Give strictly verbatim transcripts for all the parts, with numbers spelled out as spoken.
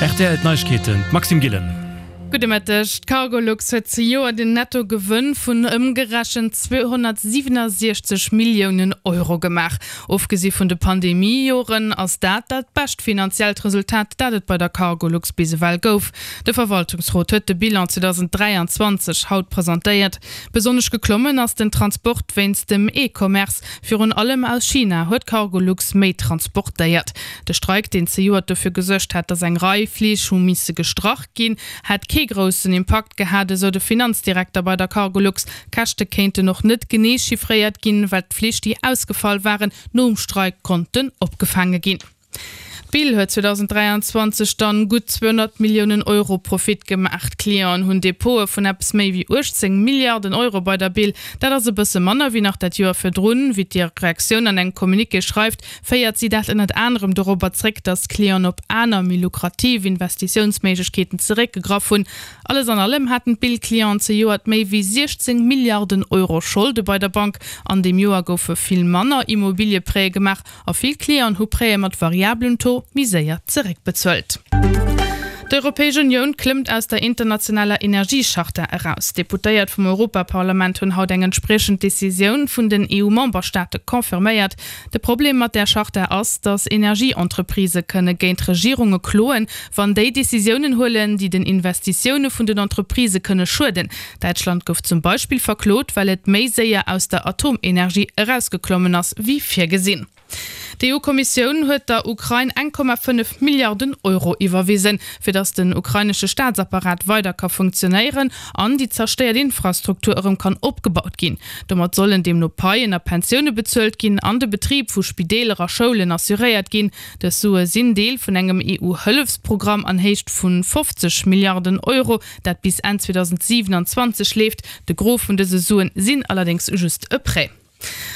Rtl D'Neiegkeeten, d'Maxime Gillen. Gudde Mëtteg. D'Cargolux huet zejoert en Nettogewënn vun ëmgerechent zweehonnertsiwennesechzeg Milliounen Euro gemaach. Ofgesi vun de Pandemie-Joren ass dat dat bescht finanziellt Resultat, dat et bei der Cargolux bis ewell gouf. De Verwaltungsrot huet de Bilan zweedausenddräianzwanzeg haut presentéiert. Besonnesch geklommen ass den Transport wéinst dem E-Commerce. Virun allem aus China huet Cargolux méi transportéiert. De Streik, deen zejoert dofir gesuergt hat, datt eng Rei Flich hu misse gestrach ginn, hätt kee groussen Impakt gehat, esou de Finanzdirekter bei der Cargolux. D'Käschte kéinten och net genee chiffréiert ginn, well d'Flich, déi ausgefall waren, nom Streik konnten opgefaange ginn. D'Bill huet zweedausenddräianzwanzeg dann gutt zweehonnert Milliounen Euro Profit gemaach. D'Clienten hunn Depote vun eppes méi wéi uechtzéng Milliarden Euro bei der Bill. Dat ass e bësse manner wéi nach dat Joer virdrun. Wéi d'Direktioun an engem Communiqué schreift, féiert si dat ënnert anerem dorobber zréck, datt d'Clienten op aner, méi lukrativ Investitiounsméiglechkeeten zeréckgegraff hunn. Alles an allem haten d'Bill-Clienten zejoert méi wéi siechzéng Milliarden Euro Scholde bei der Bank. An deem Joer goufe vill manner Immobilieprêtë gemaach a vill Clienten hu Prêtë mat variabelem Taux méi séier zeréckbezuelt. D'Europäesch Unioun klëmmt aus der internationaler Energiecharta eraus. D'Deputéiert vum Europaparlament hunn haut eng entspriechend Decisioun vun den E U-Memberstaate confirméiert. De Problem mat där Charta ass, datt Energieentreprisë kënne géint Regierunge kloen, wann déi Decisiounen huelen, déi den Investitioune vun den Entreprisë kënne schueden. Däitschland gouf zum Beispill verklot, well et méi séier aus der Atomenergie erausgeklommen ass wéi virgesinn. D'E U-Kommissioun huet der Ukrain eng Komma fënnef Milliarden Euro iwwerwisen, fir datt den ukrainesche Staatsapparat weider ka funktionéieren an déi zerstéiert Infrastruktur erëm kann opgebaut ginn. Domat sollen deemno Paien a Pensioune bezuelt ginn an de Betrib vu Spideeler a Schoulen assuréiert ginn. Dës Sue sinn Deel vun engem E U-Hëllefsprogramm an Héicht vu fofzeg Milliarden Euro, dat bis Enn zweedausendsiewenanzwanzeg leeft. De Gros vun dëse Suen sinn allerdéngs just e Prêt.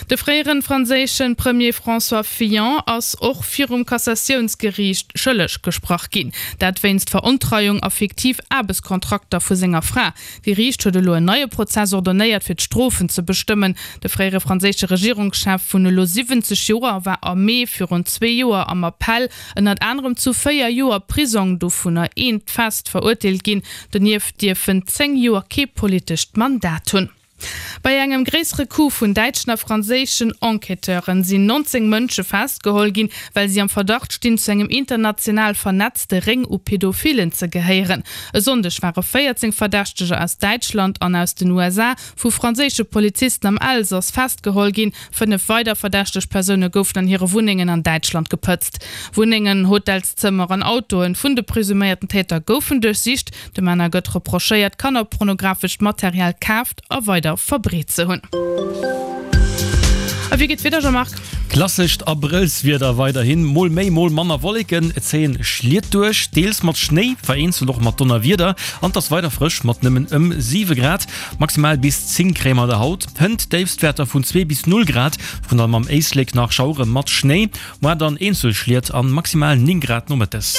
De fréiere franséische Premier François Fillon ass och virum Kassatiounsgeriicht schëlleg gesprach ginn. Dat wéinst Verontreiung a fiktiv Aarbechtskontrakter vu senger Fra. D'Geriicht huet elo en neie Prozess ordonéiert, fir d'Strofen ze bestëmmen. De fréiere franséische Regierungschef vun elo siwwenzeg Joer war am Mee virun zwee Joer am Appell ënnert anerem zu véier Joer Prisong, dovunner eent fest, verurteelt ginn. Donieft dierf en zéng Joer kee politescht Mandat hunn. Bei engem gréissere Coup vun däitschen a franséischen Enquêteure sinn nonzéng Mënsche festgeholl ginn, well si am Verdacht stinn, zu engem international vernetzte Réng u Pädophillen ze gehéieren. E Sonndeg ware véierzéng Verdächteger aus Däitschland an aus den U S A vu franséische Polizisten am Elsass festgeholl ginn. Fënnef weider verdächteg Persoune goufen an hire Wunnengen an Däitschland gepëtzt. Wunnengen, Hotelszëmmer an Autoe vun de presuméierten Täter goufen duerchsicht. De Männer gëtt reprochéiert, kannerpornografescht Material kaaft a weider verbreet ze hunn. A wéi geet d'Wieder, Jean-Marc? Klassescht Abrëllswieder weiderhin, mol méi, mol manner Wolleken, et zéien Schliet duerch, deels mat Schnéi, vereenzelt och mat Donnerwieder an et ass weider frësch mat nëmmen ëm siwe Grad, maximal bis zéng kréie mer der haut. Hënt Déifstwäerter vun zwee bis null Grad, virun allem am Éislek nach Schauere mat Schnéi, muer dann eenzel Schliet an maximal néng Grad nomëttes.